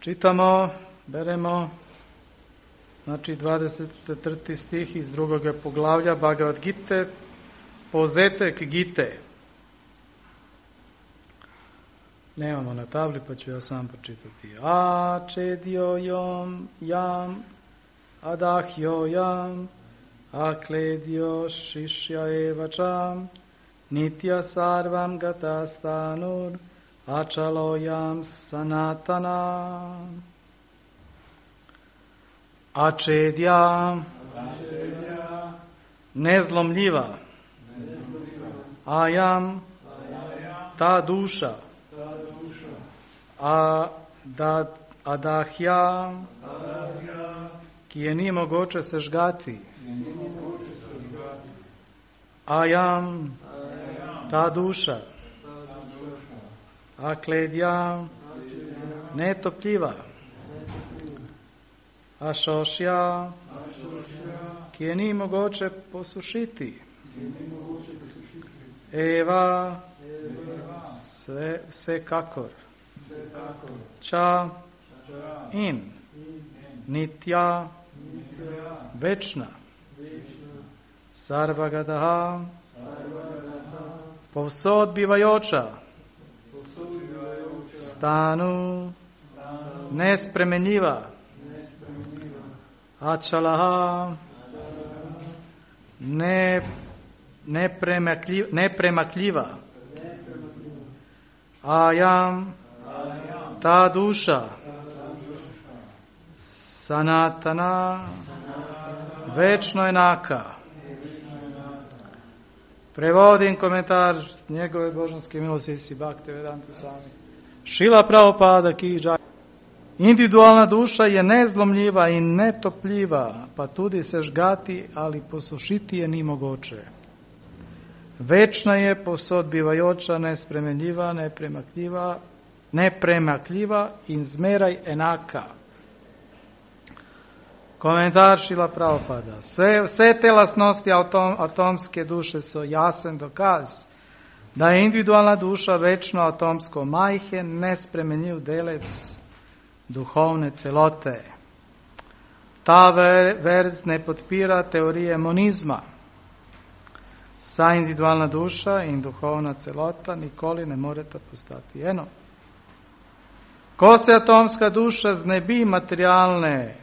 Čitamo, beremo, znači 24. stih iz 2. poglavlja Bhagavad Gite, Pozetek Gite. Nemamo na tabli, pa ću ja sam pročitati. Čedjo jam, adahjo jam, akledjo šišja evačam, nitya sarvam gatastanur, Ačalojam sanatana. Ačedja, nezlomljiva. Ajam, ta duša. Adahja, ki je ni mogoče sežgati. Ajam, ta duša. Akledja, netopljiva. Ašošja, ki je ni mogoče posušiti. Eva, vsekakor. Ča, in. Nitja, večna. Sarvagadaha, povsod bivajoča. Stanu, nespremenljiva. Ačalaha, nepremakljiva. Ajam, ta duša. Sanatana, večno enaka. Prevodim komentar njegove božanske milosti si Bhaktivedanta Swami Šrila Prabhupada ki džaj. Individualna duša je nezlomljiva i netopljiva, pa tudi se žgati, ali posušiti je ni mogoče. Večna je, povsod bivajoča, nespremenljiva, nepremakljiva in zmeraj enaka. Komentar Šrila Prabhupada. Vse te lastnosti atomske duše so jasen dokaz, da je individualna duša večno atomsko majhen, nespremenljiv delec duhovne celote. Ta verz ne podpira teorije monizma. Sa individualna duša in duhovna celota nikoli ne moreta postati eno. Ko se atomska duša znebi materialne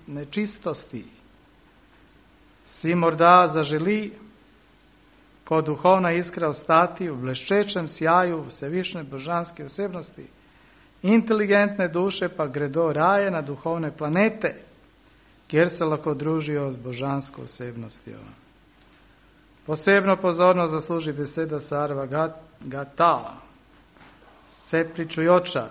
nečistosti, si morda zaželi kot duhovna iskra ostati v bleščečem sjaju vsevišnje božanske osebnosti. Inteligentne duše pa gredo raje na duhovne planete, kjer se lahko družijo z božansko osebnostjo. Posebno pozornost zasluži beseda Sarva Gata, vse pričujoča,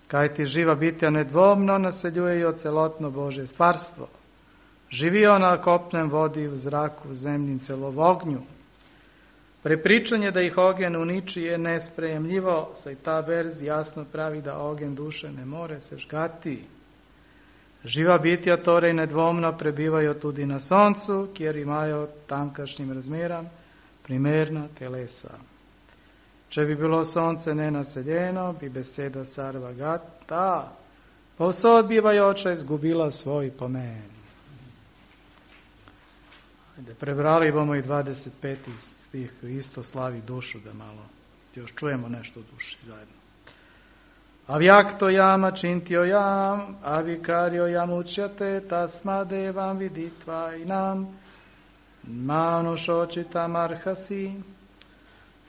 kajti živa bitja nedvomno naseljujejo celotno Božje stvarstvo. Živijo na kopnem, vodi, v zraku, v zemlji in celo v ognju. Prepričanje, da ih ogen uniči, je nesprejemljivo, saj ta verz jasno pravi, da ogen duše ne more sežgati. Živa bitja torej nedvomno prebivajo tudi na soncu, kjer imajo tamkajšnjim razmeram primerna telesa. Če bi bilo sonce nenaseljeno, bi beseda Sarva Gata, povsod bivajoča, izgubila svoj pomen. Prebrali bomo i 25. stih, isto slavi dušu, da malo još čujemo nešto o duši zajedno. Avjakto jam, ačintjo jam, avikarjo jam učjate, tasma devam viditva i nam, manušočitam arhasi.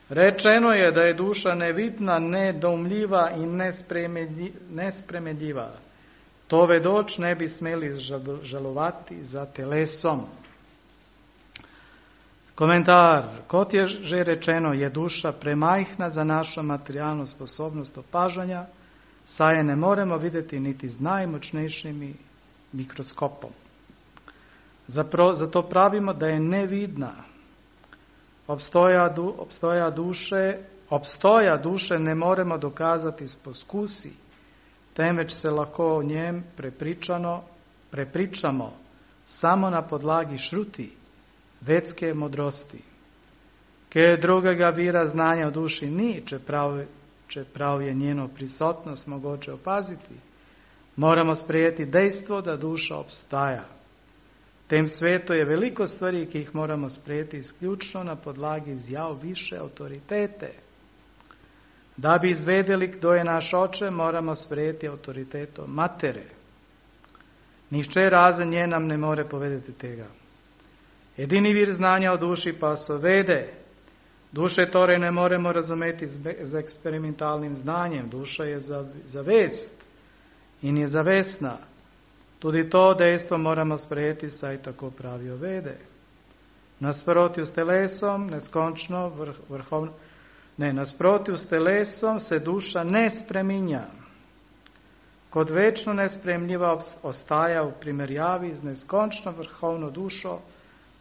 Rečeno je da je duša nevidna, nedoumljiva i nespremenljiva. To vedoč ne bi smeli žalovati za telesom. Komentar. Kot je že rečeno, je duša premajhna za našu materijalnu sposobnost opažanja, saj je ne moremo vidjeti niti z najmočnejšim mikroskopom. Zato pravimo da je nevidna. Obstoja duše ne moremo dokazati s poskusi, temveč se lahko o njem prepričamo samo na podlagi šruti, vedske modrosti. Ker drugega vira znanja o duši ni, čeprav čeprav je njeno prisotnost mogoče opaziti, moramo sprejeti dejstvo, da duša obstaja. V tem svetu je veliko stvari, ki jih moramo sprejeti izključno na podlagi izjav više avtoritete. Da bi izvedeli, kdo je naš oče, moramo sprejeti avtoriteto matere. Nihče razen nje nam ne more povedati tega. Edini vir znanja o duši pa so vede. Duše torej ne moremo razumeti z eksperimentalnim znanjem. Duša je zavest in je zavestna. Tudi to dejstvo moramo sprejeti, saj tako pravijo vede. Nasprotju s telesom, neskončno nasprotju s telesom se duša ne spreminja. Kot večno nespremljiva ostaja v primerjavi z neskončno vrhovno dušo,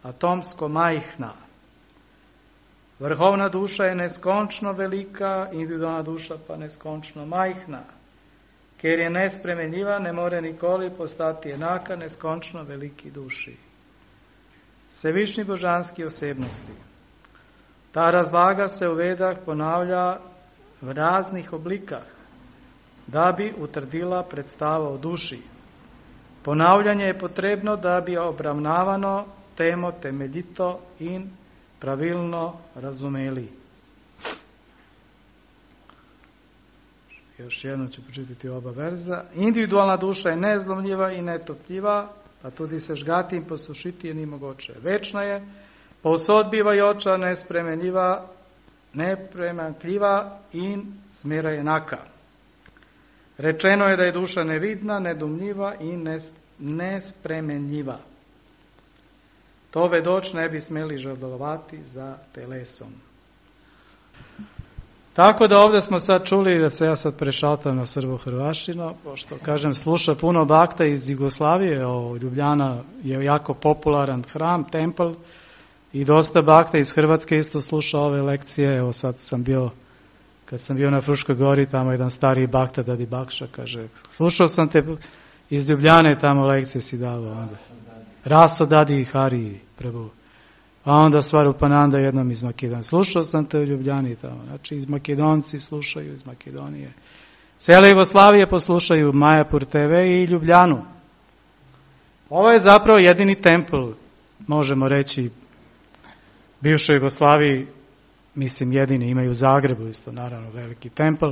atomsko majhna. Vrhovna duša je neskončno velika, individualna duša pa neskončno majhna. Ker je nespremenljiva, ne more nikoli postati enaka neskončno veliki duši. Vsevišnji božanski osebnosti. Ta razlaga se v Vedah ponavlja v raznih oblikah, da bi utrdila predstavo o duši. Ponavljanje je potrebno, da bi obravnavano temo temeljito in pravilno razumeli. Još jednom ću počitati oba verza. Individualna duša je nezlomljiva i netopljiva, pa tudi se žgati in posušiti je ni mogoče. Večna je, povsod bivajoča, nespremenljiva, nepremanjkljiva in zmeraj enaka. Rečeno je da je duša nevidna, nedomljiva in nespremenljiva. To vedoč ne bi smeli žalovati za telesom. Tako da ovdje smo sad čuli, da se ja sad prešaltam na srbo-hrvaštino, pošto, kažem, sluša puno bakta iz Jugoslavije, Ljubljana je jako popularan hram, templ, i dosta bakta iz Hrvatske isto sluša ove lekcije. Evo sad kad sam bio na Fruškoj gori, tamo jedan stariji bakta, Dadi Bakša, kaže, slušao sam te iz Ljubljane, tamo lekcije si davao onda. Raso Dadi Hari, Prabhu. A onda Svarupananda jednom iz Makedonije. Slušao sam te u Ljubljani tamo. Znači iz Makedonci slušaju, iz Makedonije. Cijele Jugoslavije poslušaju Majapur TV i Ljubljanu. Ovo je zapravo jedini templ, možemo reći, bivšoj Jugoslaviji, mislim jedini, imaju u Zagrebu isto, naravno, veliki templ,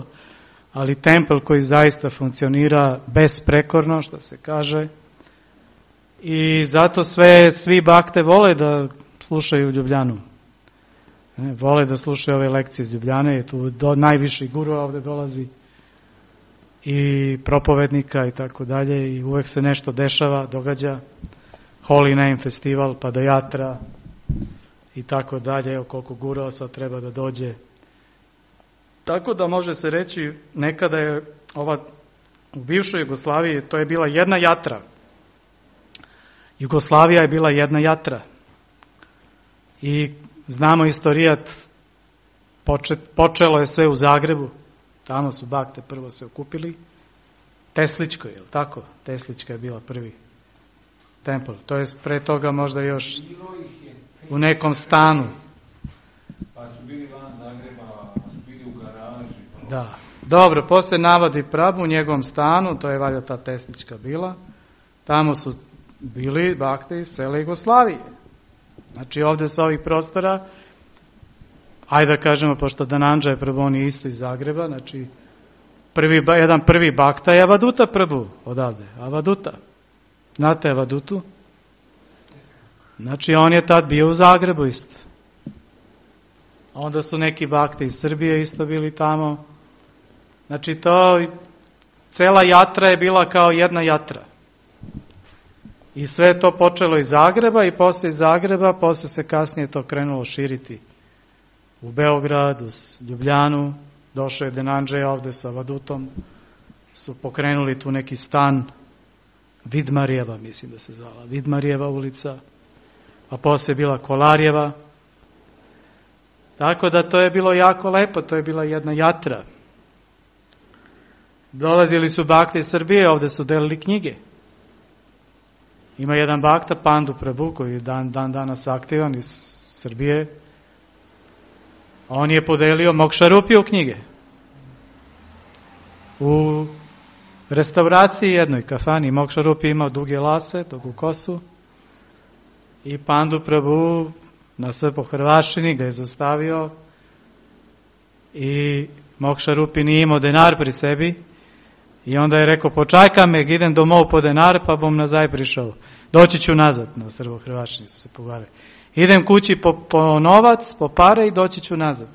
ali templ koji zaista funkcionira besprekorno, što se kaže. I zato svi bakte vole da slušaju Ljubljanu. Vole da slušaju ove lekcije iz Ljubljane, tu najviši guru ovdje dolazi i propovednika i tako dalje, i uvek se nešto dešava, događa. Holy Name festival, Padajatra i tako dalje, evo koliko gurova sad treba da dođe. Tako da može se reći, nekada je u bivšoj Jugoslaviji, to je bila jedna jatra. Jugoslavija je bila jedna jatra. I znamo istorijat, počelo je sve u Zagrebu, tamo su bakte prvo se okupili, Tesličko, je li tako? Teslička je bila prvi templ, to je pre toga možda još u nekom stanu. Pa su bili van Zagreba, pa su bili u garaži. Da, dobro, poslije navodi Prabhu u njegovom stanu, to je valjda ta Teslička bila, tamo su bili bakte iz cele Jugoslavije. Znači ovdje sa ovih prostora, ajde da kažemo, pošto Danandža je Prabhu, on je isto iz Zagreba, znači jedan prvi bakta je Avaduta Prabhu odavde, Avaduta. Znate Avadutu? Znači on je tad bio u Zagrebu isto. Onda su neki bakte iz Srbije isto bili tamo. Znači cela jatra je bila kao jedna jatra. I sve to počelo iz Zagreba i poslije iz Zagreba, poslije se kasnije to krenulo širiti u Beograd, u Ljubljanu. Došao je Danandža ovdje sa Avadutom, su pokrenuli tu neki stan, Vidmarijeva, mislim da se zvala, Vidmarijeva ulica, a poslije je bila Kolarjeva. Tako da to je bilo jako lepo, to je bila jedna jatra. Dolazili su bakte iz Srbije, ovdje su delili knjige. Ima jedan bakta, Pandu Prabhu, koji je danas aktivan iz Srbije. On je podelio Mokšarupiju knjige. u restauraciji jednoj kafani. Mokšarup je imao duge lase, dugu kosu, i Pandu Prabhu na po hrvaščini ga je zaustavio i Mokšarupi nije imao denar pri sebi i onda je rekao, počajka me, idem domov po denar pa bom nazaj prišao. Doći ću nazad, na srbo-hrvačni su se pogovarali. Idem kući po novac, po pare i doći ću nazad.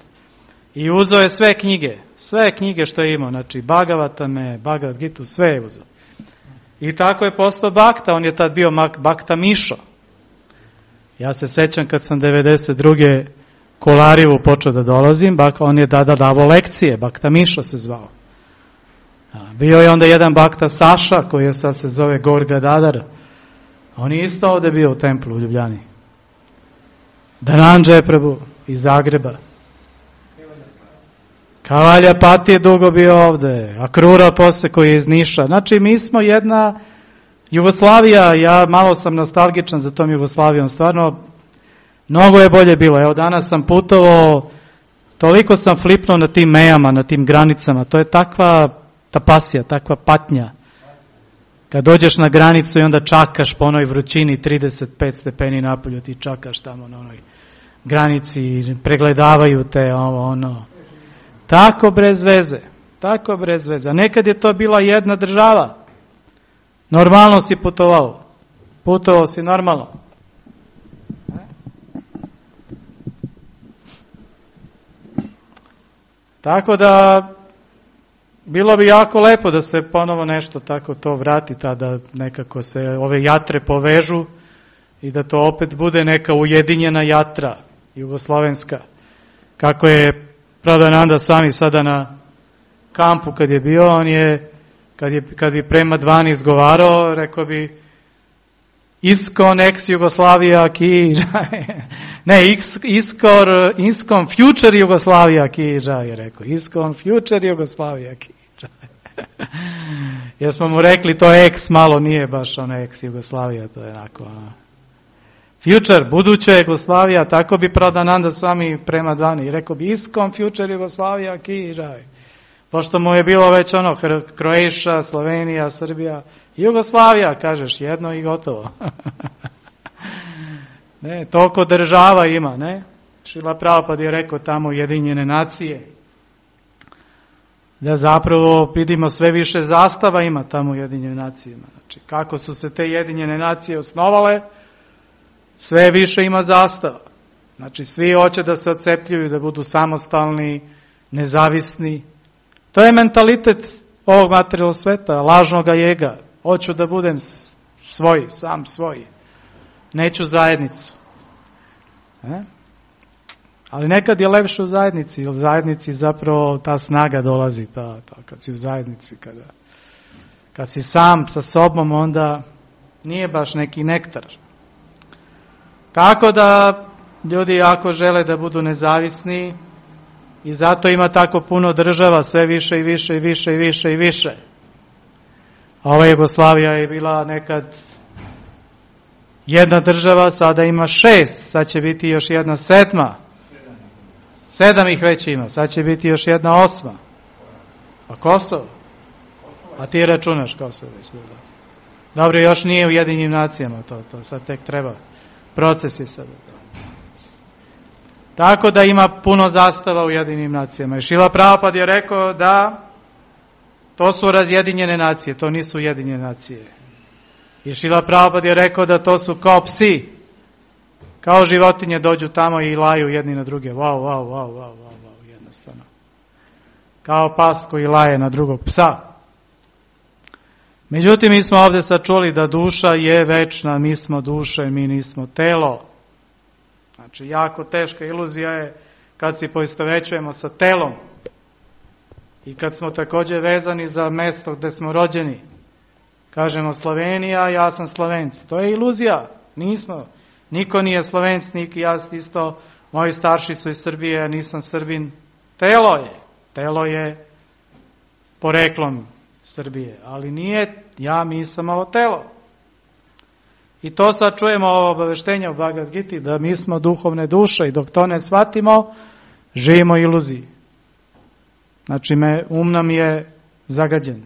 I uzeo je sve knjige što je imao, znači Bhagavatame, Bhagavad Gitu, sve je uzeo. I tako je postao Bakta, on je tad bio Bakta Mišo. Ja se sećam kad sam 92. Kolarivu počeo da dolazim, on je tada davao lekcije, Bakta Mišo se zvao. Bio je onda jedan Bakta Saša, koji je sad se zove Gorga Dadar. On je isto ovdje bio u templu u Ljubljani. Dhananjaya Prabhu iz Zagreba. Kavalja Pati je dugo bio ovdje, Akrura posle koji je iz Niša. Znači mi smo jedna Jugoslavija, ja malo sam nostalgičan za tom Jugoslavijom, stvarno mnogo je bolje bilo. Evo danas sam putovao, toliko sam flipnuo na tim mejama, na tim granicama, to je takva tapasija, takva patnja. Kad dođeš na granicu i onda čakaš po onoj vrućini 35 stepeni napolju, ti čakaš tamo na onoj granici, pregledavaju te ono. Tako bez veze. Nekad je to bila jedna država. Normalno si putovao si normalno. Tako da bilo bi jako lepo da se ponovo nešto tako to vrati, da nekako se ove jatre povežu i da to opet bude neka ujedinjena jatra jugoslovenska. Kako je Pradhananda Swami sada na kampu kad je bio, on je, kad bi prema dvani izgovarao, rekao bi Iskon ex Jugoslavija ki ne, Iskon future Jugoslavija ki je rekao. Iskon future Jugoslavija ki jer smo mu rekli to ex malo nije baš ono ex Jugoslavija, to je onako future, buduća Jugoslavija, tako bi Pradhananda Swami prema dvani. Rekao bi Iskon future Jugoslavija ki pošto mu je bilo već ono Kroatia, Slovenija, Srbija, Jugoslavija, kažeš jedno i gotovo. Ne, toliko država ima, ne? Šrila Prabhupada je rekao tamo Ujedinjene nacije. Da zapravo vidimo sve više zastava ima tamo Ujedinjene nacije. Znači, kako su se te Ujedinjene nacije osnovale, sve više ima zastava. Znači, svi hoće da se odcepljuju, da budu samostalni, nezavisni. To je mentalitet ovog materijalnog sveta, lažnog ega. Hoću da budem sam svoj. Neću zajednicu. Ali nekad je lepše u zajednici, jer u zajednici zapravo ta snaga dolazi, kad si u zajednici, kad si sam sa sobom, onda nije baš neki nektar. Tako da ljudi jako žele da budu nezavisni i zato ima tako puno država, sve više i više i više i više i više. Ova Jugoslavija je bila nekad jedna država, sada ima 6, sad će biti još jedna 7. 7 ih već ima, sad će biti još jedna 8. A Kosovo? A ti računaš Kosovo već bilo. Dobro, još nije u Ujedinjenim nacijama to sad tek treba. Proces je sada. Tako da ima puno zastava u Ujedinjenim nacijama. I Šrila Prabhupada je rekao da to su razjedinjene nacije, to nisu Ujedinjene nacije. I Šrila Prabhupada je rekao da to su kao psi. Kao životinje dođu tamo i laju jedni na druge. Wow, jednostavno. Kao pas koji laje na drugog psa. Međutim, mi smo ovdje sad čuli da duša je večna, mi smo duše, mi nismo telo. Znači, jako teška iluzija je kad se poistovećujemo sa telom i kad smo također vezani za mjesto gdje smo rođeni. Kažemo Slovenija, ja sam Slovenci. To je iluzija. Nismo. Niko nije Slovenc, niko ja isto. Moji starši su iz Srbije, ja nisam Srbin. Telo je poreklom Srbije, ali nije, mi sam ovo telo. I to sad čujemo ovo obaveštenje u Bhagavad Giti, da mi smo duhovne duše i dok to ne shvatimo, živimo iluziji. Znači, nam je zagađen.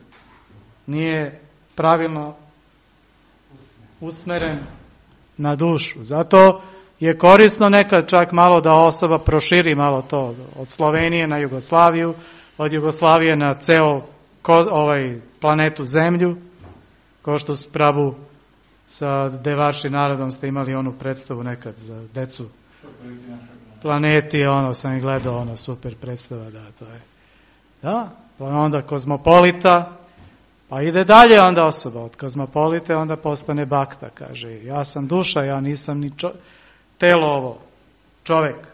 Nije pravilno usmeren na dušu. Zato je korisno nekad čak malo da osoba proširi malo to od Slovenije na Jugoslaviju, od Jugoslavije na ceo planetu Zemlju, kao što su Prabu sa Devaši narodom ste imali onu predstavu nekad za decu. Planeti, sam i gledao, super predstava, da, to je. Da, pa onda kozmopolita, pa ide dalje onda osoba, od kozmopolite onda postane bakta, kaže, ja sam duša, ja nisam ni telo ovo, čovek.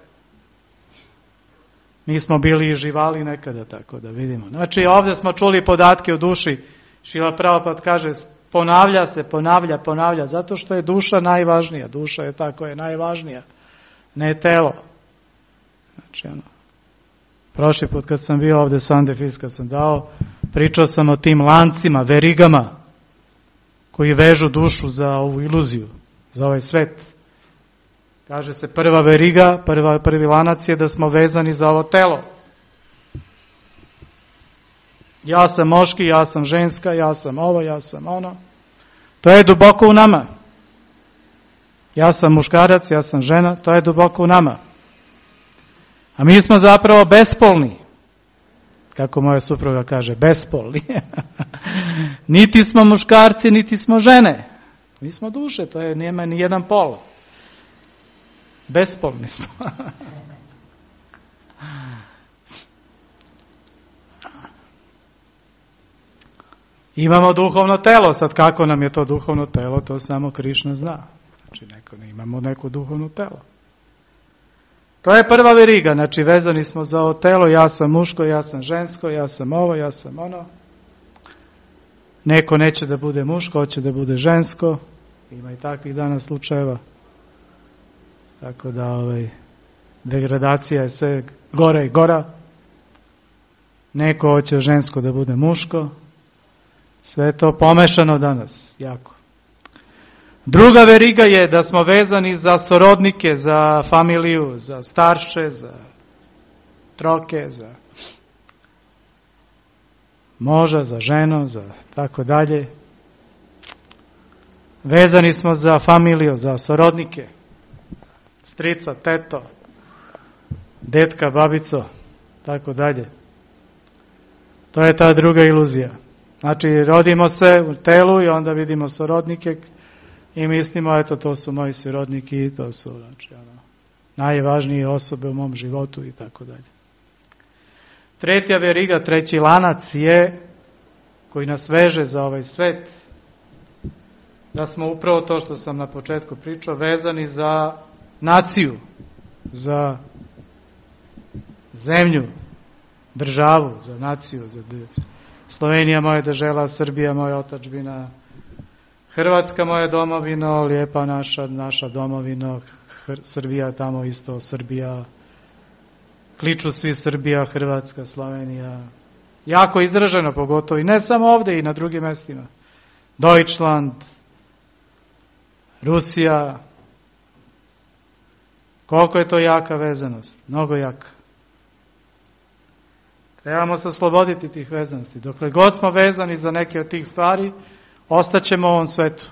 Mi smo bili i živali nekada, tako da vidimo. Znači, ovdje smo čuli podatke o duši, Šrila Prabhupada kaže, ponavlja, zato što je duša najvažnija, duša je ta koja je najvažnija, ne telo. Znači, prošli put kad sam bio ovdje Sandefis, kad sam dao, pričao sam o tim lancima, verigama, koji vežu dušu za ovu iluziju, za ovaj svet. Kaže se prva veriga, prvi lanac je da smo vezani za ovo telo. Ja sam moški, ja sam ženska, ja sam ovo, ja sam ono. To je duboko u nama. Ja sam muškarac, ja sam žena, to je duboko u nama. A mi smo zapravo bespolni. Kako moja supruga kaže, bespolni. Niti smo muškarci, niti smo žene. Mi smo duše, to je, nema ni jedan pol. Bespolni smo. Imamo duhovno telo, sad kako nam je to duhovno telo, to samo Krišna zna. Znači imamo neko duhovno telo. To je prva veriga, znači vezani smo za ovo telo, ja sam muško, ja sam žensko, ja sam ovo, ja sam ono. Neko neće da bude muško, hoće da bude žensko. Ima i takvih danas slučajeva. Tako da degradacija je sve gora i gora. Neko hoće žensko da bude muško. Sve je to pomešano danas, jako. Druga veriga je da smo vezani za sorodnike, za familiju, za starše, za troke, za moža, za ženu, za tako dalje. Vezani smo za familiju, za sorodnike, strica, teto, detka, babico, tako dalje. To je ta druga iluzija. Znači, rodimo se u telu i onda vidimo sorodnike i mislimo, eto, to su moji srodniki, to su najvažnije osobe u mom životu i tako dalje. Treća veriga, treći lanac je, koji nas veže za ovaj svet, da smo upravo to što sam na početku pričao, vezani za naciju, za zemlju, državu, za naciju, za Slovenija moja država, Srbija moja otadžbina, Hrvatska moja domovina, lijepa naša domovina, Srbija tamo isto, Srbija, kliču svi Srbija, Hrvatska, Slovenija. Jako izraženo pogotovo i ne samo ovdje i na drugim mjestima. Deutschland, Rusija. Koliko je to jaka vezanost? Mnogo jaka. Trebamo se osloboditi tih vezanosti. Dokle god smo vezani za neke od tih stvari, ostaćemo u ovom svetu.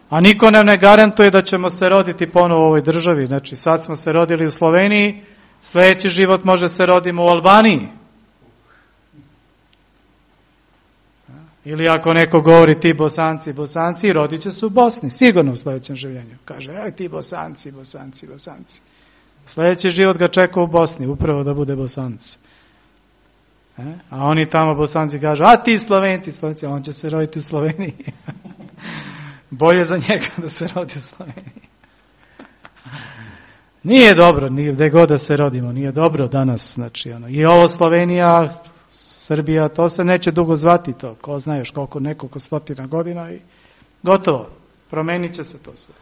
A niko nam ne garantuje da ćemo se roditi ponovo u ovoj državi. Znači, sad smo se rodili u Sloveniji, sljedeći život može se rodimo u Albaniji. Ili ako neko govori ti Bosanci, rodit će se u Bosni, sigurno u sljedećem življenju. Kaže, aj ti Bosanci. Sljedeći život ga čeka u Bosni, upravo da bude Bosanac. A oni tamo Bosanci kažu, a ti Slovenci, on će se roditi u Sloveniji. Bolje za njega da se rodi u Sloveniji. Nije dobro, gdje god da se rodimo, nije dobro danas. Znači, i ovo Slovenija, Srbija, to se neće dugo zvati to. Ko zna još nekoliko stotina godina i gotovo. Promenit će se to sve.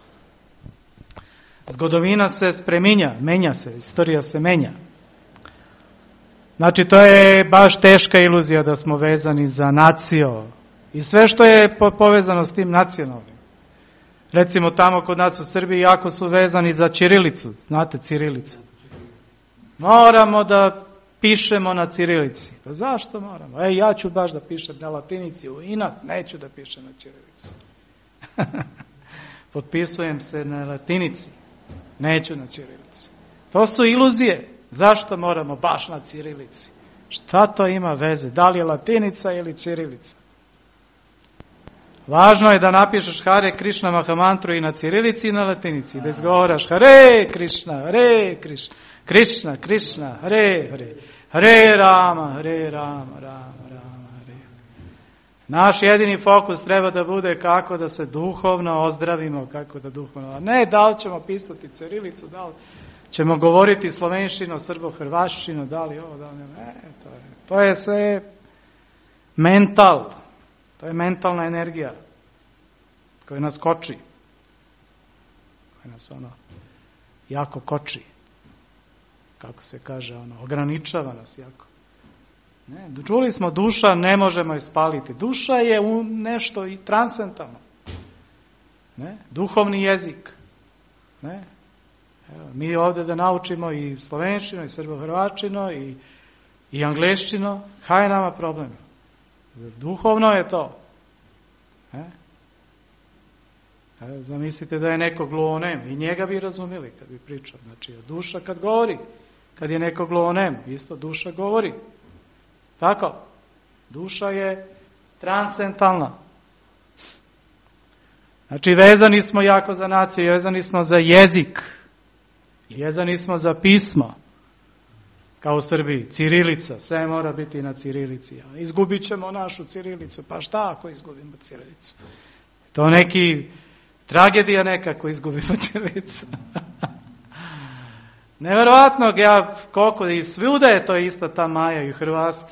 Zgodovina se spreminja, menja se, istorija se menja. Znači, to je baš teška iluzija da smo vezani za naciju i sve što je povezano s tim nacionalnim. Recimo tamo kod nas u Srbiji jako su vezani za ćirilicu, znate ćirilicu. Moramo da pišemo na cirilici. Pa zašto moramo? Ja ću baš da pišem na latinici, u inat neću da pišem na cirilici. Potpisujem se na latinici, neću na cirilici. To su iluzije. Zašto moramo baš na cirilici? Šta to ima veze? Da li je latinica ili cirilica? Važno je da napišeš Hare Krishna Mahamantru i na cirilici i na latinici. Da izgovaraš Hare Krishna, Hare Krishna, Krishna, Krishna, Hare Hare, Hare Rama, Hare Rama, Rama, Rama, Hare. Naš jedini fokus treba da bude kako da se duhovno ozdravimo, kako da duhovno... A ne da li ćemo pisati cirilicu, da li ćemo govoriti slovenštino, srbo-hrvaščino, da li ovo, da li ne, to je sve mental. To je mentalna energija koja nas koči. Koja nas jako koči. Kako se kaže, ograničava nas jako. Ne, čuli smo, duša ne možemo je spaliti. Duša je nešto i transcendentalno. Ne, duhovni jezik. Ne. Evo, mi ovdje da naučimo i slovenštino, i srbo-hrvačino, i angleščino, kaj je nama problem? Duhovno je to. Zamislite da je neko gluhonem i njega bi razumjeli kad bi pričao. Znači, duša kad govori, kad je neko gluhonem, isto duša govori. Tako? Duša je transcendentalna. Znači, vezani smo jako za naciju, vezani smo za jezik, vezani smo za pismo. Kao u Srbiji, cirilica, sve mora biti na cirilici. Izgubit ćemo našu cirilicu, pa šta ako izgubimo cirilicu? To neki tragedija nekako izgubimo cirilicu. Neverovatno, koliko i svuda je to isto ta Maja i u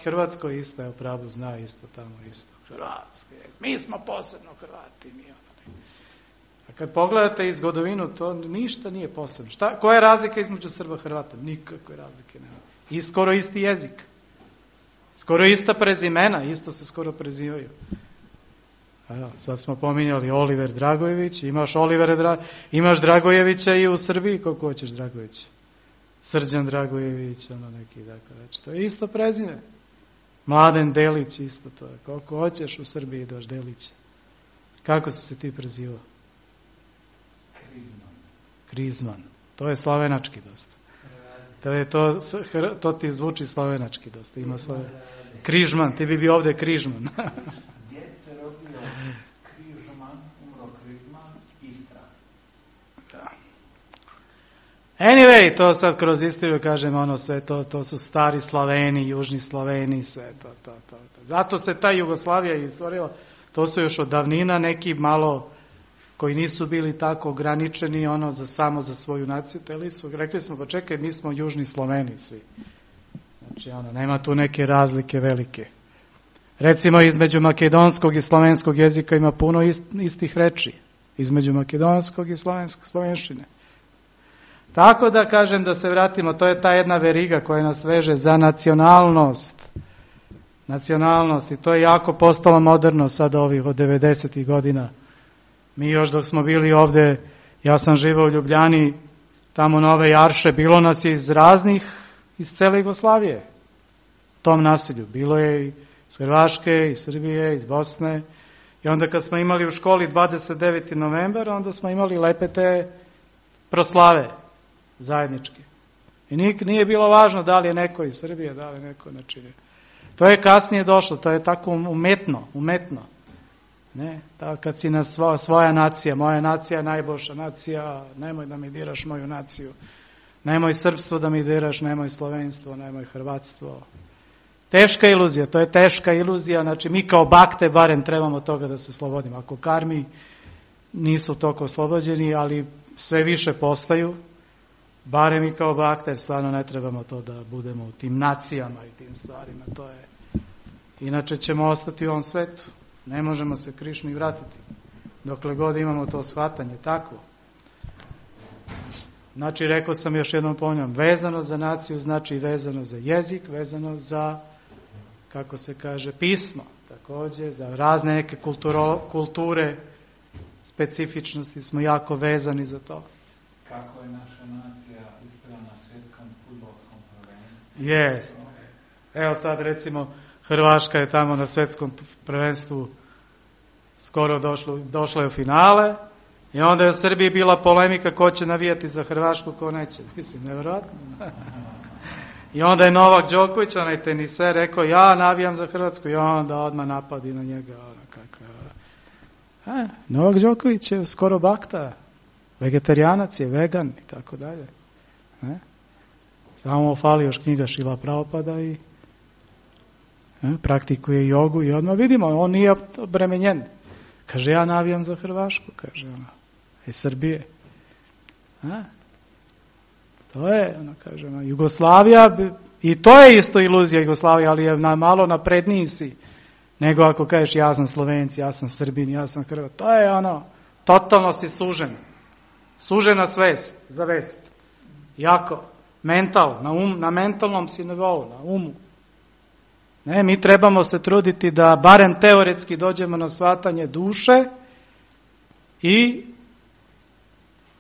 Hrvatskoj isto, je pravu zna isto tamo isto. Hrvatske, mi smo posebno Hrvati. A kad pogledate iz godovinu, to ništa nije posebno. Koja je razlika između Srba i Hrvata? Nikakve razlike nema. I skoro isti jezik. Skoro ista prezimena, isto se skoro prezivaju. Evo, sad smo pominjali Oliver Dragojević, imaš Dragojevića i u Srbiji, koliko hoćeš Dragojevića. Srđan Dragojević, neki, dakle, već. To je isto prezime. Mladen Delić, isto to je. Koliko hoćeš u Srbiji daš Delić. Kako si se ti prezivao? Krizman. To je slavenački dosta. To ti zvuči slavenački dosta. Ima Križman, ti bi bio ovdje Križman. Gdje se rodio Križman, umro Križman, Istra. Da. Anyway, to sad kroz istoriju kažem, sve to su stari Slaveni, južni Slaveni, sve to. Zato se ta Jugoslavija i stvorila, to su još od davnina neki malo koji nisu bili tako ograničeni samo za svoju naciju, rekli smo, pa čekaj, mi smo južni Sloveni svi. Znači, nema tu neke razlike velike. Recimo, između makedonskog i slovenskog jezika ima puno istih reči. Između makedonskog i slovenštine. Tako da kažem, da se vratimo, to je ta jedna veriga koja nas veže za nacionalnost. Nacionalnost, i to je jako postalo moderno sada ovih od 90. godina. Mi još dok smo bili ovdje, ja sam živao u Ljubljani, tamo Nove Jarše, bilo nas je iz cele Jugoslavije, u tom naselju. Bilo je iz Hrvaške, iz Srbije, iz Bosne. I onda kad smo imali u školi 29. novembar, onda smo imali lepe te proslave zajedničke. I nije bilo važno da li je neko iz Srbije, da li je neko, znači, to je kasnije došlo, to je tako umetno. Ne, kad si na svoja nacija, moja nacija je najboljša nacija, nemoj da mi diraš moju naciju, nemoj srpstvo da mi diraš, nemoj slovenstvo, nemoj hrvatstvo. Teška iluzija, to je teška iluzija, znači mi kao bakte barem trebamo toga da se slobodimo. Ako karmi nisu toliko oslobođeni, ali sve više postaju, barem i kao bakte, stvarno ne trebamo to da budemo u tim nacijama i tim stvarima, to je. Inače ćemo ostati u ovom svetu. Ne možemo se Krišni vratiti. Dokle god imamo to shvatanje, takvo. Znači, rekao sam još jednom ponavljam, vezano za naciju znači vezano za jezik, vezano za, kako se kaže, pismo. Također, za razne neke kulture, specifičnosti smo jako vezani za to. Kako je naša nacija uspjela na svjetskom fudbalskom prvenstvu? Evo sad recimo Hrvaška je tamo na svjetskom prvenstvu skoro došla je u finale i onda je u Srbiji bila polemika ko će navijati za Hrvašku, ko neće. Mislim, nevjerojatno. I onda je Novak Đoković, onaj teniser, rekao ja navijam za Hrvatsku i onda odmah napadi na njega. Novak Đoković je skoro bakta, vegetarijanac je, vegan i tako dalje. Samo mu fali još knjiga Šrila Prabhupada i praktikuje jogu i odmah vidimo, on nije obremenjen. Kaže, ja navijam za Hrvašku, kaže ona, iz Srbije. To je, kaže ona, Jugoslavija, i to je isto iluzija Jugoslavija, ali je malo napredniji si, nego ako kažeš ja sam Slovenci, ja sam Srbin, ja sam Hrvat. To je ono, totalno si sužen. Sužena svest, za vest. Jako, mental, na mentalnom si nivou, na umu. Ne, mi trebamo se truditi da barem teoretski dođemo na shvatanje duše i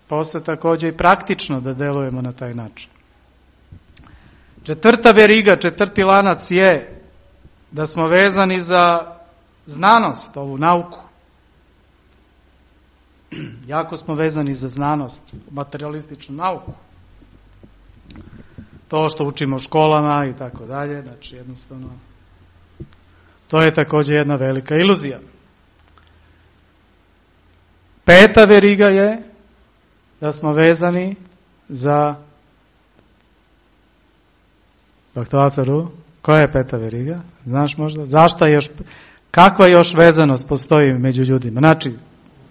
posle također i praktično da delujemo na taj način. Četvrta veriga, četvrti lanac je da smo vezani za znanost, ovu nauku. Jako smo vezani za znanost, materialističnu nauku. To što učimo u školama i tako dalje, znači jednostavno to je također jedna velika iluzija. Peta veriga je da smo vezani za Bhaktavataru. Koja je peta veriga? Znaš možda? Zašto je još, kakva još vezanost postoji među ljudima? Znači,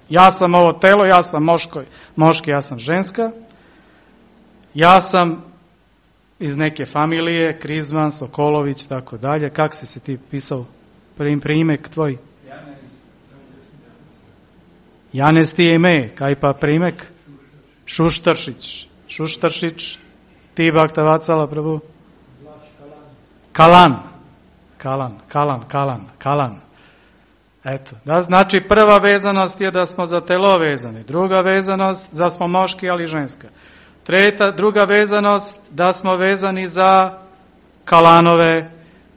ja sam ovo telo, ja sam moški, ja sam ženska, ja sam iz neke familije, Krizman, Sokolović, tako dalje. Kak si se ti pisao? Primek tvoj? Janez ti je ime, kaj pa primek? Šuštaršić. Ti Bhaktavatsala Prabhu? Kalan. Eto, znači prva vezanost je da smo za telo vezani, druga vezanost da smo moški ali ženska. Druga vezanost da smo vezani za Kalanove,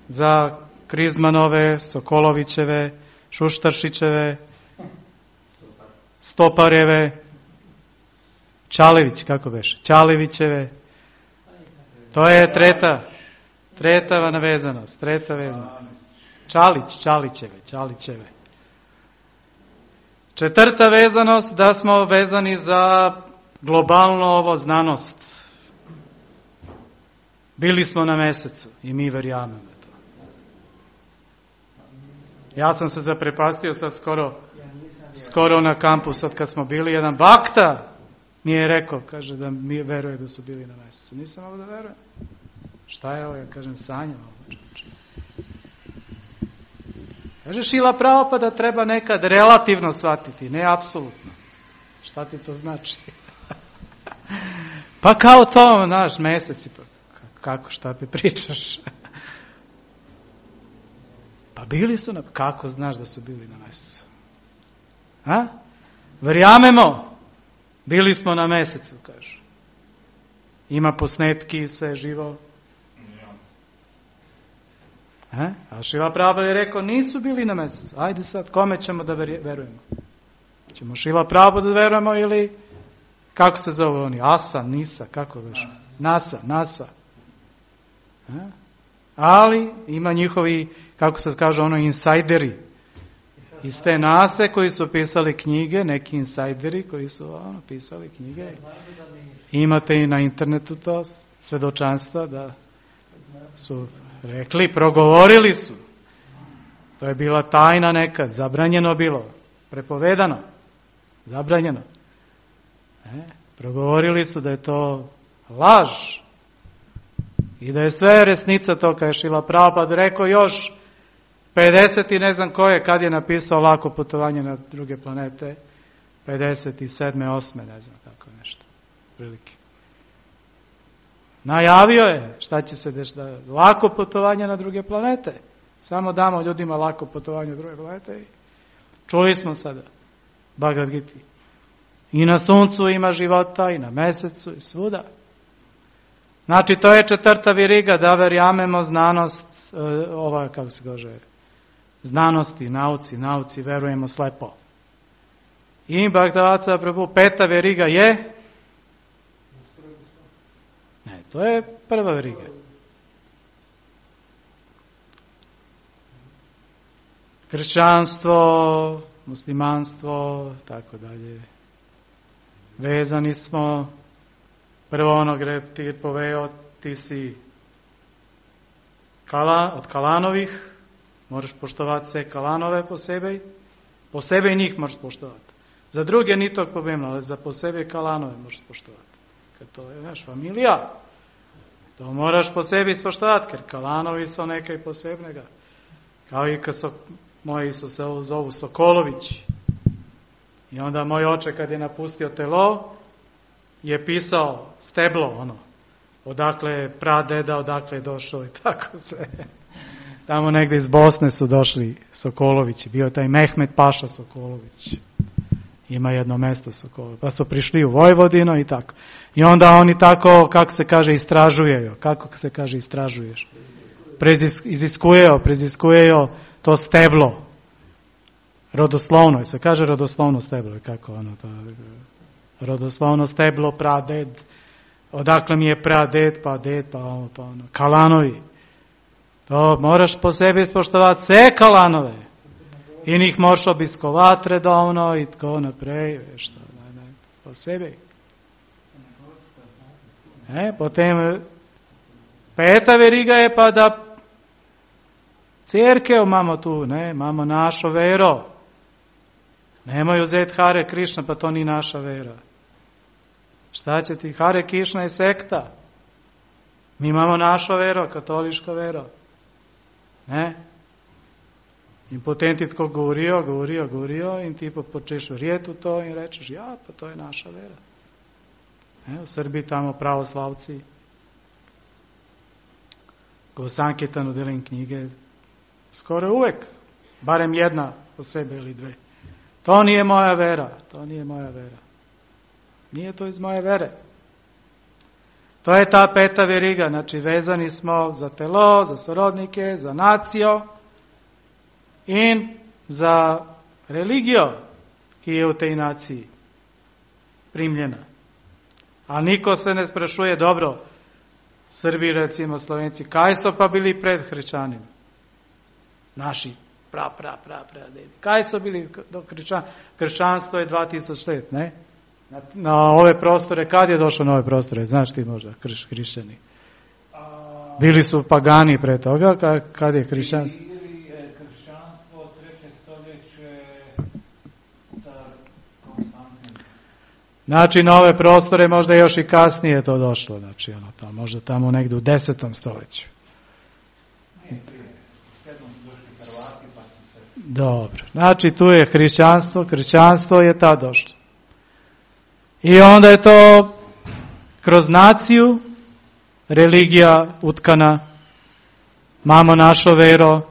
za Krizmanove, Sokolovićeve, Šuštaršićeve, Stoparjeve, kako beše? Čalevićeve. To je treta vezanost. Čalićeve. Četvrta vezanost da smo vezani za globalno ovo znanost. Bili smo na mesecu i mi verjamemo to. Ja sam se zaprepastio sad skoro na kampu, sad kad smo bili, jedan bakta mi je rekao, kaže da mi veruje da su bili na mesecu. Nisam ovo da verujem. Šta je ovo? Ja kažem, sanjam ovo. Kaže Šrila Prabhupada treba nekad relativno shvatiti, ne apsolutno. Šta ti to znači? Pa kao to, naš meseci, kako, šta ti pričaš? Pa bili su kako znaš da su bili na mesecu? Verjamemo, bili smo na mesecu, kažu. Ima posnetki, sve živo. A Šrila Prabhupada je rekao, nisu bili na mesecu. Ajde sad, kome ćemo da verujemo? Ćemo Šrila Prabhupada da verujemo ili, kako se zove oni? Asa, Nisa, kako već? NASA. Ali ima njihovi, kako se kaže, insajderi iz te nase koji su pisali knjige, neki insajderi koji su pisali knjige. Imate i na internetu to, svedočanstva da su rekli, progovorili su. To je bila tajna nekad, zabranjeno bilo, prepovedano, zabranjeno. Progovorili su da je to laž i da je sve resnica to, kad je Šrila Prabhupada rekao još 50 i ne znam koje, kad je napisao Lako putovanje na druge planete, 57. 8. ne znam, tako nešto, prilike. Najavio je šta će se dešavati. Lako putovanje na druge planete. Samo damo ljudima lako putovanje na druge planete. Čuli smo sada Bhagavad Gita. I na suncu ima života, i na mesecu, i svuda. Znači, to je četvrta veriga, da verjamemo znanost kako se kaže, znanosti, nauci verujemo slepo. I Bhaktivedanta Prabhu, peta veriga je? Ne, to je prva veriga. Kršćanstvo, muslimanstvo, tako dalje. Vezani smo, prvo ono gdje ti je poveo, ti si od Kalanovih, moraš poštovati sve Kalanove po sebe i njih moraš poštovati. Za druge ni tog problema, ali za po sebe Kalanove moraš poštovati. Kad to je naš familija, to moraš po sebi ispoštovati, jer Kalanovi su nekaj posebnega. Kao i kad moji su se zovu Sokolović. I onda moj oče kad je napustio telo, je pisao steblo, odakle je pradeda, odakle je došao i tako se. Tamo negdje iz Bosne su došli Sokolovići, bio je taj Mehmet Paša Sokolović. Ima jedno mesto Sokolović. Pa su prišli u Vojvodinu i tako. I onda oni tako, kako se kaže, istražujejo. Kako se kaže istražuješ? Preziskujejo to steblo. Rodoslovno, se kaže rodoslovno steblo, kako to, rodoslovno steblo, praded, odakle mi je praded, pa ded, pa Kalanovi. To moraš po sebi ispoštovati sve Kalanove. I njih moraš obiskovati redovno i tako naprej, po sebi. Potem peta veriga je pa da cerkev imamo tu, imamo našo vero. Nemoj uzeti Hare Krišna, pa to ni naša vera. Šta će ti? Hare Krišna je sekta. Mi imamo našo vero, katoliško vero. In potem ti tako govorijo in ti pa počeš verjeti v to in rečeš, ja, pa to je naša vera. V Srbiji tamo pravoslavci, ko v Sankirtanu delim knjige, skoraj uvek, barem jedna posebe ili dve. To nije moja vera. Nije to iz moje vere. To je ta peta veriga, znači vezani smo za telo, za sorodnike, za nacijo in za religijo, ki je v tej naciji primljena. A niko se ne sprašuje, dobro, Srbi, recimo Slovenci, kaj so pa bili pred hrišćanima? Naši pradedi. Kaj so bili do kršćanstvo je 2000 let, ne? Na ove prostore, kad je došlo na ove prostore? Znaš ti možda, hrišćani? Bili su pagani pre toga, kad je hrišćanstvo? Kršćanstvo 3. stoljeće car Konstantin. Znači, na ove prostore možda još i kasnije to došlo, znači možda tamo negdje u 10. stoljeću. Dobro, znači tu je kršćanstvo je tad došlo. I onda je to kroz naciju, religija utkana, imamo našo vero,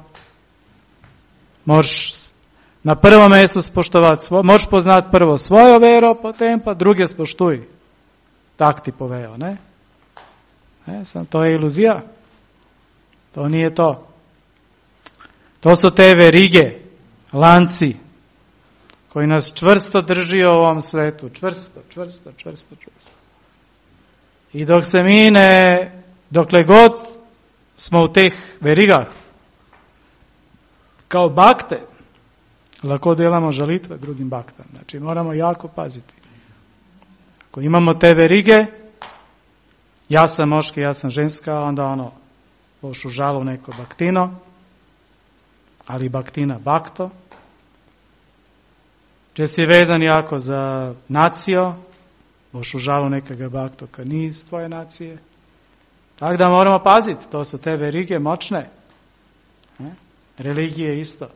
možeš na prvom mjestu spoštovati, možeš poznati prvo svojo vero, potem pa druge spoštuj. Tak ti poveo, ne? To je iluzija. To nije to. To su te verige, lanci, koji nas čvrsto drži u ovom svetu. Čvrsto. I dok se mi dokle god smo u teh verigah, kao bakte, lako delamo žalitve drugim baktam. Znači moramo jako paziti. Ako imamo te verige, ja sam moški, ja sam ženska, onda boš u žalu neko baktino, ali baktina bakto. Če si vezan jako za nacijo, boš u žalu nekega bakto, kad ni iz tvoje nacije. Tako da moramo paziti, to su te verige močne. Religije isto.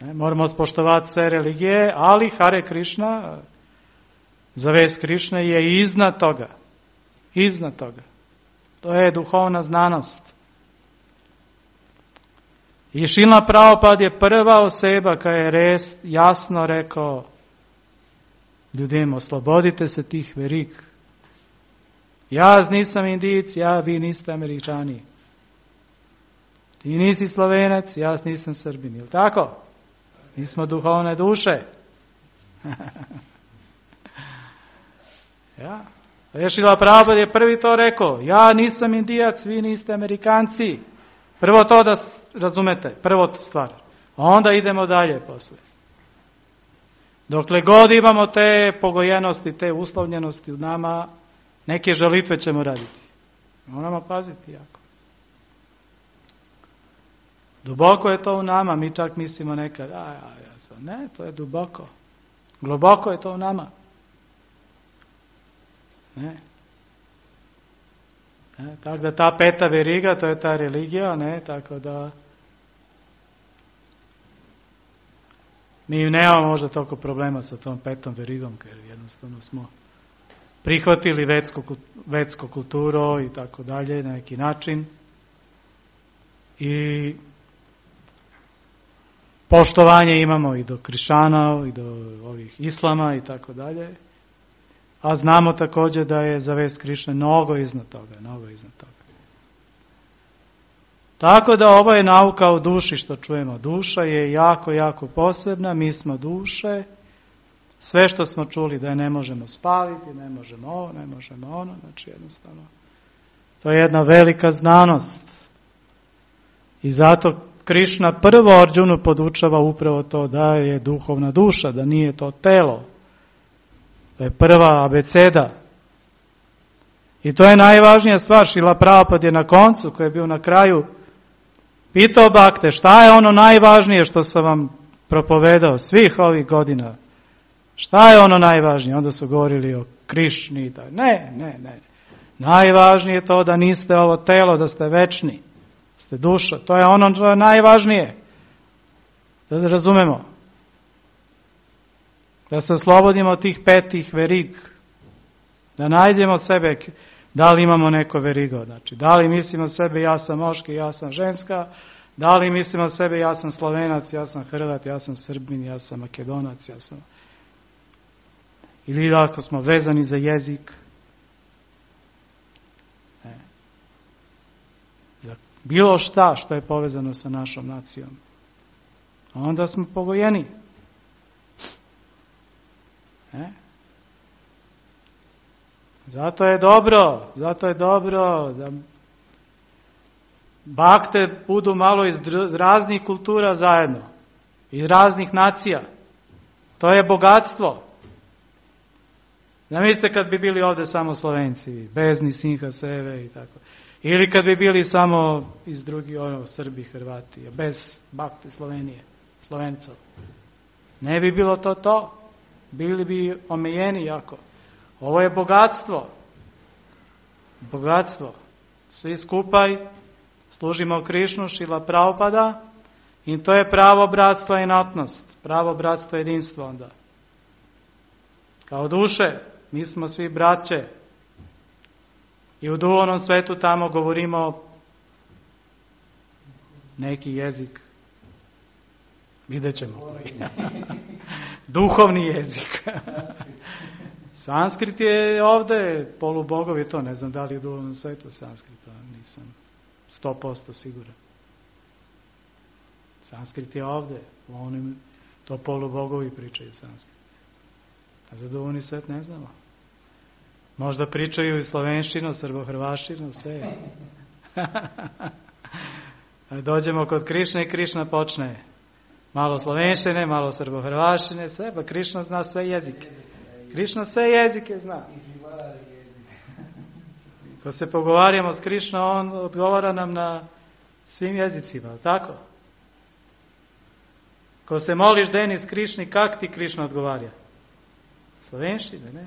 Moramo spoštovati sve religije, ali Hare Krišna, zavest Krišne je iznad toga. Iznad toga. To je duhovna znanost. I Šrila Prabhupada je prva oseba koja je res jasno rekao ljudem, oslobodite se tih verig. Ja nisam Indijic, vi niste Američani. Ti nisi Slovenac, ja nisam Srbin. Jel' tako? Mi smo duhovne duše. Ja. Šrila Prabhupada je prvi to rekao. Ja nisam Indijac, vi niste Amerikanci. Prvo to da razumete, prvo stvar. A onda idemo dalje posle. Dokle god imamo te pogojenosti, te uslovljenosti u nama, neke žalitve ćemo raditi. Moramo paziti jako. Duboko je to u nama, mi čak mislimo nekad, ne, to je duboko. Globoko je to u nama. Ne. Tako da ta peta veriga, to je ta religija, ne, tako da mi nemamo možda toliko problema sa tom petom verigom, jer jednostavno smo prihvatili vetsko kulturo i tako dalje na neki način i poštovanje imamo i do krišćana i do ovih islama i tako dalje, a znamo također da je za vest Krišne mnogo iznad toga. Tako da ovo je nauka o duši što čujemo. Duša je jako, jako posebna, mi smo duše, sve što smo čuli da je ne možemo spaliti, ne možemo ovo, ne možemo ono, znači jednostavno to je jedna velika znanost. I zato Krišna prvo Arđunu podučava upravo to da je duhovna duša, da nije to telo. To je prva abeceda. I to je najvažnija stvar. Šrila Prabhupada je na koncu, koji je bio na kraju, pitao Bhakte, šta je ono najvažnije što sam vam propovedao svih ovih godina? Šta je ono najvažnije? Onda su govorili o Krišni. Ne. Najvažnije je to da niste ovo telo, da ste večni. Ste duša. To je ono što je najvažnije. Da razumemo. Da se oslobodimo od tih petih verig. Da najdemo sebe, da li imamo neko verigo. Znači, da li mislimo sebe ja sam muški, ja sam ženska, da li mislimo sebe ja sam Slovenac, ja sam Hrvat, ja sam Srbin, ja sam Makedonac, ja sam... Ili ako smo vezani za jezik. Za bilo šta što je povezano sa našom nacijom. Onda smo pogojeni. Zato je dobro da bakte budu malo iz raznih kultura zajedno, iz raznih nacija. To je bogatstvo. Zamislite kad bi bili ovdje samo Slovenci, bez ni Sinha, Seve i tako. Ili kad bi bili samo iz drugih, Srbi, Hrvati, bez bakte Slovenije, Slovencov. Ne bi bilo to. Bili bi omejeni jako. Ovo je bogatstvo. Svi skupaj služimo Krišnu, Šrila Prabhupada i to je pravo bratstva i jednotnost. Pravo bratstva i jedinstvo onda. Kao duše, mi smo svi braće. I u duhovnom svetu tamo govorimo neki jezik. Vidjet ćemo. Duhovni jezik. Sanskrit je ovdje, polubogovi to, ne znam da li je u duhovnom svetu Sanskrita, nisam 100% siguran. Sanskrit je ovdje, to polubogovi pričaju Sanskrit. A za duhovni svet ne znamo. Možda pričaju i slovenštinu, srbohrvaštinu, sve. Dođemo kod Krišne i Krišna počne. Malo slovenštine, malo srbohrvaštine, sve, pa Krišna zna sve jezike. Krišna sve jezike zna. Ko se pogovarjamo s Krišnom, on odgovara nam na svim jezicima, tako? Ko se moliš Denis Krišni, kak ti Krišna odgovarja? Slovenštine, ne?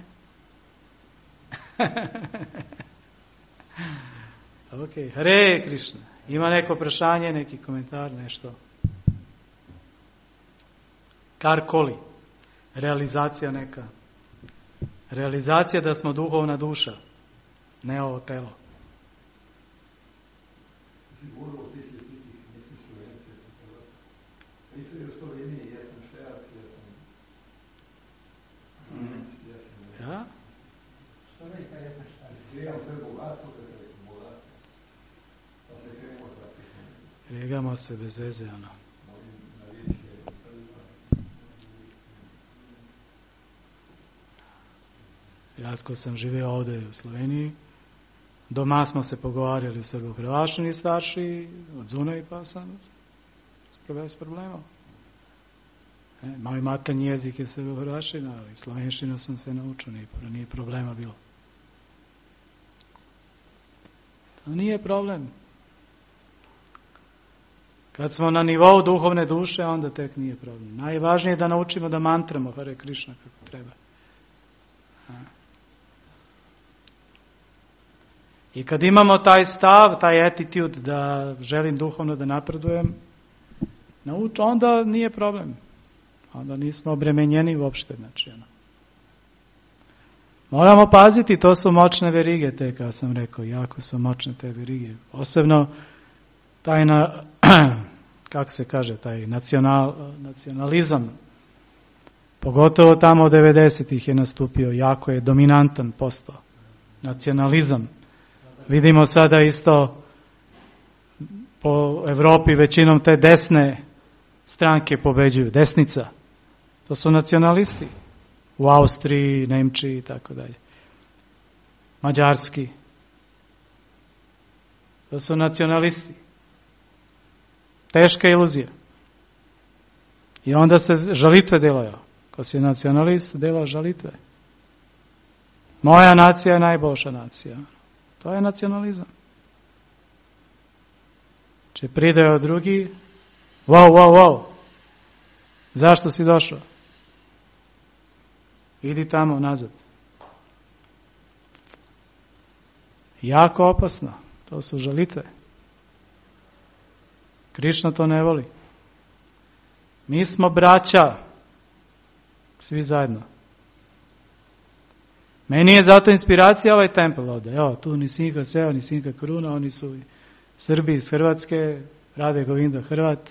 Ok, Hare Krišna. Ima neko vprašanje, neki komentar, nešto? Karkoli. Realizacija neka. Realizacija da smo duhovna duša. Ne ovo telo. Ja? igramo se bez veze, ono. Ja ko sam živio ovdje u Sloveniji, doma smo se pogovarjali u srbo-hrvaščini starši, od zunaj pa sam bez problema. Moj materni jezik je srbo-hrvaščina, ali slovenština sam se naučio, nije problema bilo. To nije problem. Kad smo na nivou duhovne duše, onda tek nije problem. Najvažnije je da naučimo da mantramo Hare Krishna kako treba. I kad imamo taj stav, taj attitude da želim duhovno da napredujem, onda nije problem. Onda nismo obremenjeni uopšte. Znači, moramo paziti, to su moćne verige, te kao sam rekao, jako su moćne te verige. Posebno taj, kako se kaže, taj nacionalizam, pogotovo tamo od 90-ih je nastupio, jako je dominantan postao. Nacionalizam. Vidimo sada isto po Evropi većinom te desne stranke pobeđuju, desnica. To su nacionalisti. U Austriji, Nemčiji i tako dalje. Mađarski. To su nacionalisti. Teška iluzija. I onda se žalitve delaju. Ko si nacionalist, dela žalitve. Moja nacija je najboljša nacija. To je nacionalizam. Če pridejo drugi, wow. Zašto si došao? Idi tamo nazad. Jako opasno. To su žalitve. Krišna to ne voli. Mi smo braća. Svi zajedno. Meni je zato inspiracija ovaj tempel ovdje. Evo, tu ni Sinha Seo, ni Sinha Kruna, oni su Srbi iz Hrvatske, Rade Govinda Hrvat,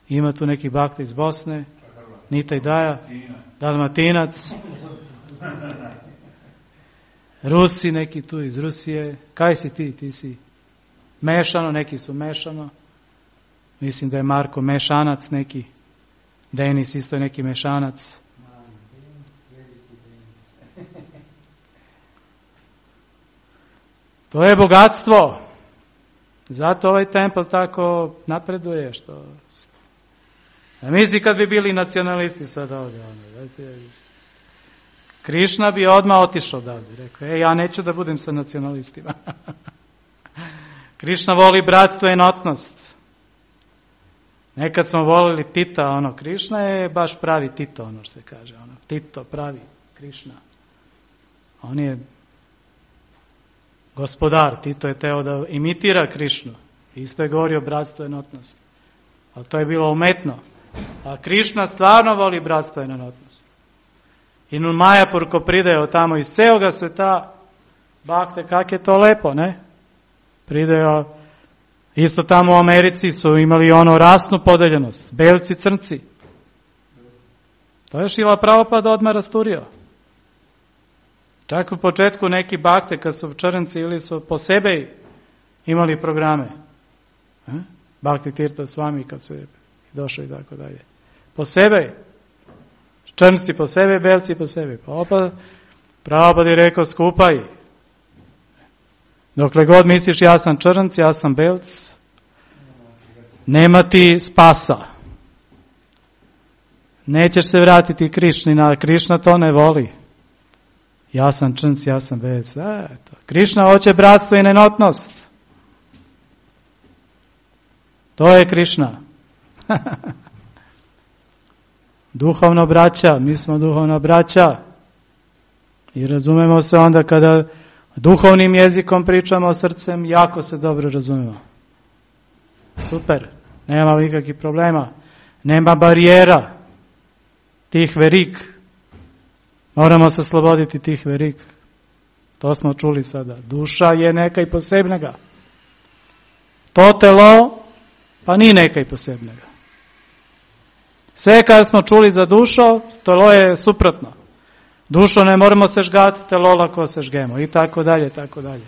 ima tu neki bakta iz Bosne, Nita i Daja, Dalmatinac, Rusi neki tu iz Rusije. Kaj si ti? Ti si mešano, neki su mešano. Mislim da je Marko mešanac neki, Denis isto je neki mešanac. To je bogatstvo. Zato ovaj tempel tako napreduje. Misli kad bi bili nacionalisti sad ovdje. Krišna bi odmah otišao odavde. Rekao, ja neću da budem sa nacionalistima. Krišna voli bratstvo i jednotnost. Nekad smo volili Tita, Krišna je baš pravi Tito, što se kaže. Tito, pravi Krišna. On je gospodar. Tito je teo da imitira Krišnu. Isto je govorio bratstvo i jednotnost. Ali to je bilo umetno. A Krišna stvarno voli bratstvo i jednotnost. I nu Majapur ko pridejo tamo iz celoga sveta, bakte, kak je to lepo, ne? Pridejo, isto tamo u Americi su imali rasnu podeljenost, belci, crnci. To je Šrila Prabhupada odmah rasturio. Čak u početku neki bakte kad su črnci ili su po sebi imali programe. Bhakti Tirtha Swami kad se došao i tako dalje. Po sebi. Črnci po sebi, belci po sebi. Pa Prabhupada je rekao skupaj. Dokle god misliš ja sam črnc, ja sam belc, nema ti spasa. Nećeš se vratiti Krišni, Krišna to ne voli. Ja sam črnc, ja sam belc. Krišna hoće bratstvo i jednotnost. To je Krišna. Duhovno braća, mi smo duhovna braća. I razumemo se onda kada duhovnim jezikom pričamo srcem, jako se dobro razumemo. Super, nema nikakvih problema. Nema barijera tih verik. Moramo se sloboditi tih verik. To smo čuli sada. Duša je nekaj posebnega. To telo pa ni nekaj posebnega. Sve kad smo čuli za dušo, telo je suprotno. Dušo ne moramo se žgati, telo lako se žgemo i tako dalje, tako dalje.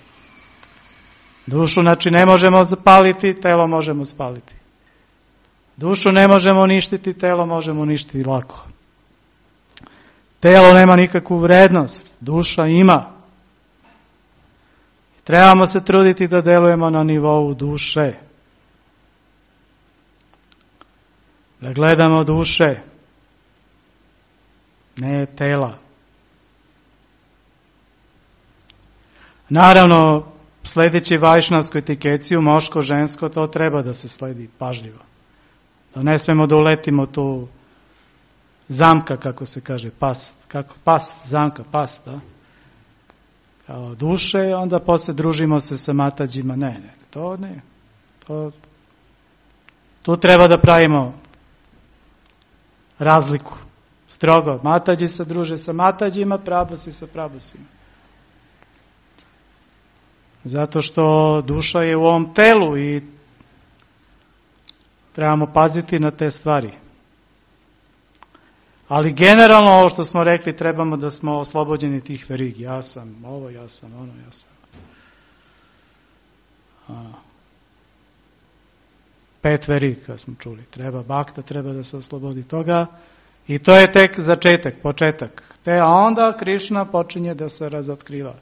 Dušu znači ne možemo zapaliti, telo možemo spaliti. Dušu ne možemo uništiti, telo možemo uništiti lako. Telo nema nikakvu vrednost, duša ima. Trebamo se truditi da delujemo na nivou duše. Da gledamo duše, ne tela. Naravno, sledeći vajšnavsku etikeciju, moško, žensko, to treba da se sledi pažljivo. Da ne smemo da uletimo tu zamka, kako se kaže, zamka, da? Kao duše, onda posle družimo se sa matađima. Ne, to ne. Tu treba da pravimo razliku. Strogo, matađi se druže sa matađima, prabusi sa prabusima. Zato što duša je u ovom telu i trebamo paziti na te stvari. Ali generalno ovo što smo rekli, trebamo da smo oslobođeni tih verigi. Ja sam ovo, ja sam ono, ja sam. 5 veriga smo čuli. Bakta treba da se oslobodi toga. I to je tek začetak, početak. A onda Krišna počinje da se razotkriva.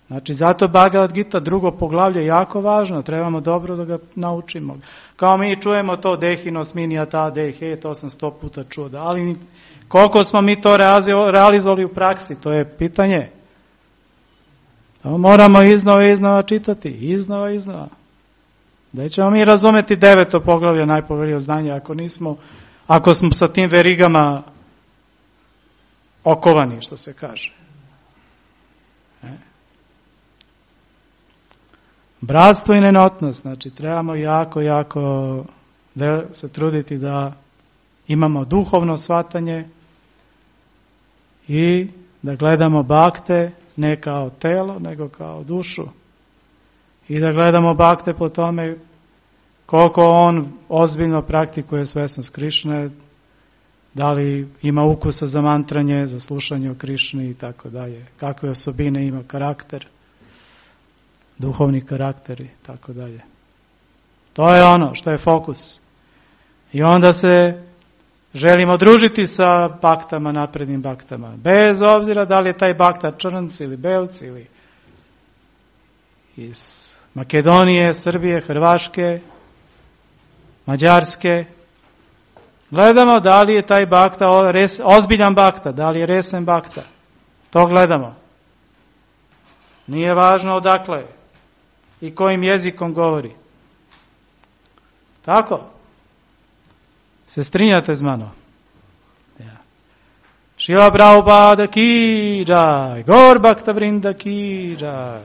Znači, zato Bhagavad Gita, drugo poglavlje, je jako važno, trebamo dobro da ga naučimo. Kao mi čujemo to dehinos minijata dehe, to sam 100 puta čuo, ali koliko smo mi to realizovali u praksi, to je pitanje. To moramo iznova čitati, iznova. Da ćemo mi razumeti 9. poglavlje najpoveljnije znanja, ako smo sa tim verigama okovani, što se kaže. Bratstvo i nenotnost, znači trebamo jako se truditi da imamo duhovno shvatanje i da gledamo bakte ne kao telo, nego kao dušu. I da gledamo bakte po tome koliko on ozbiljno praktikuje svesnost Krišne, da li ima ukusa za mantranje, za slušanje o Krišni i tako dalje. Kakve osobine ima karakter, duhovni karakter i tako dalje. To je ono što je fokus. I onda se želimo družiti sa baktama, naprednim baktama. Bez obzira da li je taj bakta Črnc ili Belc ili iz Makedonije, Srbije, Hrvaške, Mađarske. Gledamo da li je taj bakta ozbiljan bakta, da li je resen bakta. To gledamo. Nije važno odakle i kojim jezikom govori. Tako? Se strinjate s mano? Ja. Šila Prabhupada ki jai, Gaur Bhakta Vrinda ki jai.